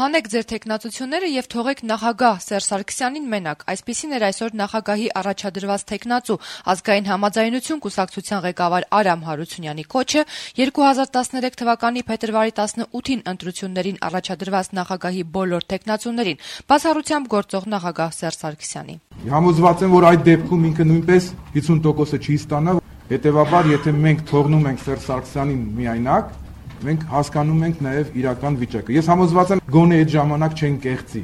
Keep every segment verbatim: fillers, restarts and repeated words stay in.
Հանեք ձեր թեկնածությունները եւ թողեք նախագահ Սերժ Սարգսյանին մենակ։ Այսպիսին էր այսօր նախագահի առաջադրված թեկնածու ազգային համաձայնություն կուսակցության ղեկավար Արամ Հարությունյանի կոչը երկու հազար տասներեք թվականի փետրվարի տասնութին ընտրություններին առաջադրված նախագահի բոլոր թեկնածուներին, բացառությամբ գործող նախագահ Սերժ Սարգսյանի։ Համոզված եմ, որ այդ դեպքում ինքը նույնպես հիսուն տոկոսը չի ստանա, հետեւաբար եթե մենք թողնում ենք Սերժ Սարգսյանին միայնակ, մենք հասկանում ենք նաև իրական վիճակը։ Ես համոզված եմ, գոնե այդ ժամանակ չեն կեղծի։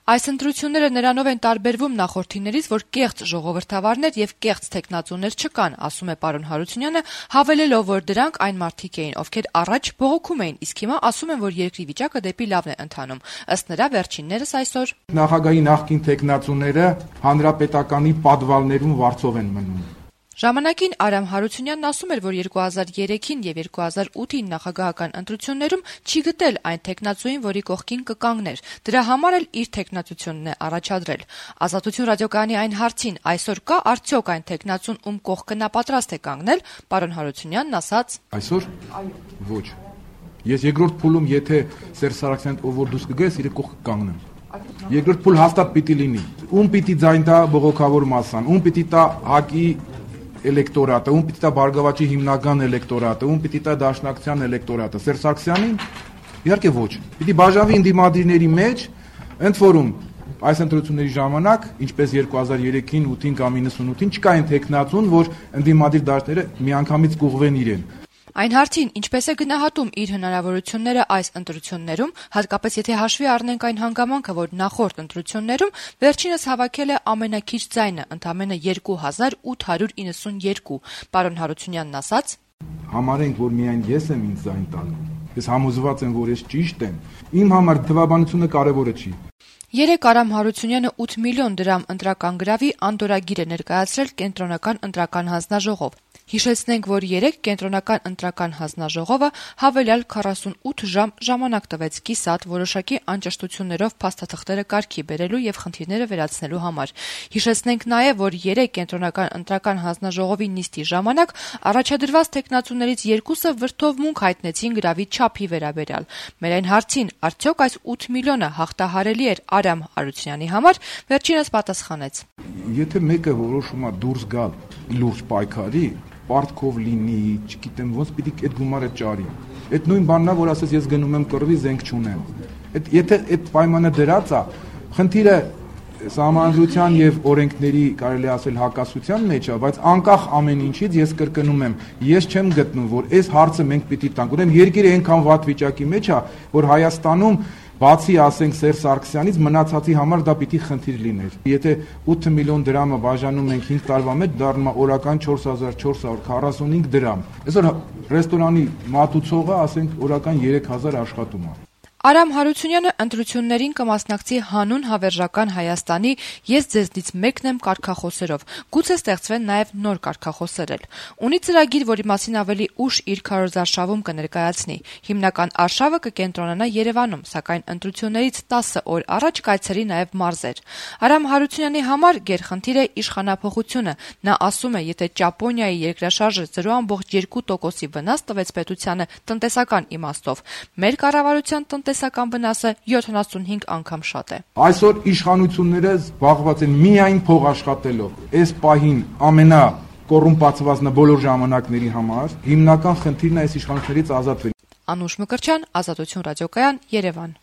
Այս ընտրությունները նրանով են տարբերվում նախորդիներից, որ կեղծ ժողովրդավարներ եւ կեղծ թեկնածուներ չկան, ասում է պարոն Հարությունյանը, հավելելով, որ դրանք այն մարդիկ էին, ովքեր առաջ բողոքում էին, իսկ հիմա ասում են, որ երկրի վիճակը դեպի լավն է ընթանում։ Ըստ նրա, վերջիններս այսօր նախագահի նախկին թեկնածուները հանրապետականի պատվալներում վարձով են մնում։ Ժամանակին Արամ Հարությունյանն ասում էր, որ երկու հազար երեքին եւ երկու հազար ութին նախագահական ընտրություններում չի գտել այն թեկնածուին, որի կողքին կկանգներ։ Դրա համար էլ իր թեկնածությունն է առաջադրել։ Ազատություն ռադիոկայանի այն հարցին այսօր կա արդյոք այն թեկնածուն, ում կողքը նա պատրաստ է կանգնել, պարոն Հարությունյանն ասաց. Այսօր ոչ։ Ես երկրորդ փուլում եթե Սերժ Սարգսյանն ով որ դուրս կգայ, իր կողքը կանգնեմ։ Երկրորդ փուլ հաստատ պիտի լինի։ Ում պիտի ձայն տա բողոքավոր մասան, ում պիտի տա հակի էլեկտորատը, ում պիտի տա Բարգավաճի հիմնական էլեկտորատը, ում պիտի տա Դաշնակցության էլեկտորատը, Սերժ Սարգսյանին, իհարկե ոչ։ Պիտի բաժանվի ընդդիմադիրների մեջ, ընդ որում այս ընտրությունների ժամանակ, ինչպես երկու հազար երեքին, ութին կամ իննսունութին, չկա այն թեկնածուն, որ ընդդիմադիր դաշտերը միանգամից կուղվեն իրեն։ Այն հարցին, ինչպես է գնահատում իր հնարավորությունները այս ընտրություններում, հատկապես եթե հաշվի առնենք այն հանգամանքը, որ նախորդ ընտրություններում վերջինս հավաքել է ամենաքիչ ձայնը, ընդամենը երկու հազար ութ հարյուր իննսունյոթ, պարոն Հարությունյանն ասաց. Համարենք, որ միայն ես եմ ինձ ձայն տալու։ Ես համոզված եմ, որ ես ճիշտ եմ։ Իմ համար թվաբանությունը կարևորը չի։ Երեկ Արամ Հարությունյանը ութ միլիոն դրամ ընտրական գրավի անդորագիր է ներկայացրել կենտրոնական ընտրական հանձնաժողով։ Հիշեցնենք, որ երեկ կենտրոնական ընտրական հանձնաժողովը հավելյալ քառասունութ ժամ ժամանակ տվեց կիսատ որոշակի անճշտություններով փաստաթղթերը կարգի բերելու եւ խնդիրները վերացնելու համար։ Հիշեցնենք նաեւ, որ երեկ կենտրոնական ընտրական հանձնաժողովի նիստի ժամանակ առաջադրված թեկնածուներից երկուսը վրդովմունք հայտնեցին գրավի չափի վերաբերյալ։ Մեր այն հարցին, արդյոք այս ութ միլիոնը հաղթահարելի էր Արամ Հարությունյանի համար, վերջինս պատասխանեց. Եթե մեկը որոշում է դուրս գալ լուրջ պայքարի, պարտքով լինի, չգիտեմ ոնց պիտի այդ գումարը ճարի։ Այդ նույն բանն է, որ ասես ես գնում եմ կռվի, զենք չունեմ։ Այդ եթե այդ պայմանը դրած է, խնդիրը Սահմանադրության եւ օրենքների կարելի ասել հակասության մեջ է, բայց անկախ ամեն ինչից ես կրկնում եմ, ես չեմ գտնում, որ այս հարցը մենք պիտի տանք։ Ուրեմն երկիրը այնքան վատ վիճակի մեջ է, որ Հայաստանում բացի ասենք Սերժ Սարգսյանից մնացածի համար դա պիտի խնդիր լիներ։ Եթե ութ միլիոն դրամը բաժանում ենք հինգ տարվա մեջ, դառնում է օրական չորս հազար չորս հարյուր քառասունհինգ դրամ։ Այսօր ռեստորանի մատուցողը ասենք օրական երեք հազար աշխատում է։ Արամ Հարությունյանը ընտրություններին կմասնակցի հանուն հավերժական Հայաստանի «Ես ձեզնից մեկն եմ» կարգախոսերով։ Գուցե ստեղծվեն նաև նոր կարգախոսեր էլ։ Ունի ծրագիր, որի մասին ավելի ուշ իր քարոզարշավում կներկայացնի։ Հիմնական արշավը կկենտրոնանա Երևանում, սակայն ընտրություններից տասը օր առաջ կայցելի նաև մարզեր։ Արամ Հարությունյանի համար գերխնդիր է իշխանափոխությունը։ Նա ասում է, եթե Ճապոնիայի երկրաշարժը զրո ամբողջ երկու տոկոսի վնաս տվեց պետությանը տնտեսական իմաստով, մեր կառավարության տնտեսական վնասը յոթանասունհինգ անգամ շատ է։ Այսօր իշխանությունները զբաղված են միայն փող աշխատելով։ Այս պահին ամենա կոռումպացվածն է բոլոր ժամանակների համար։ Հիմնական խնդիրն է այս իշխանություններից ազատվել։ Անուշ Մկրտչյան, Ազատություն ռադիոկայան, Երևան։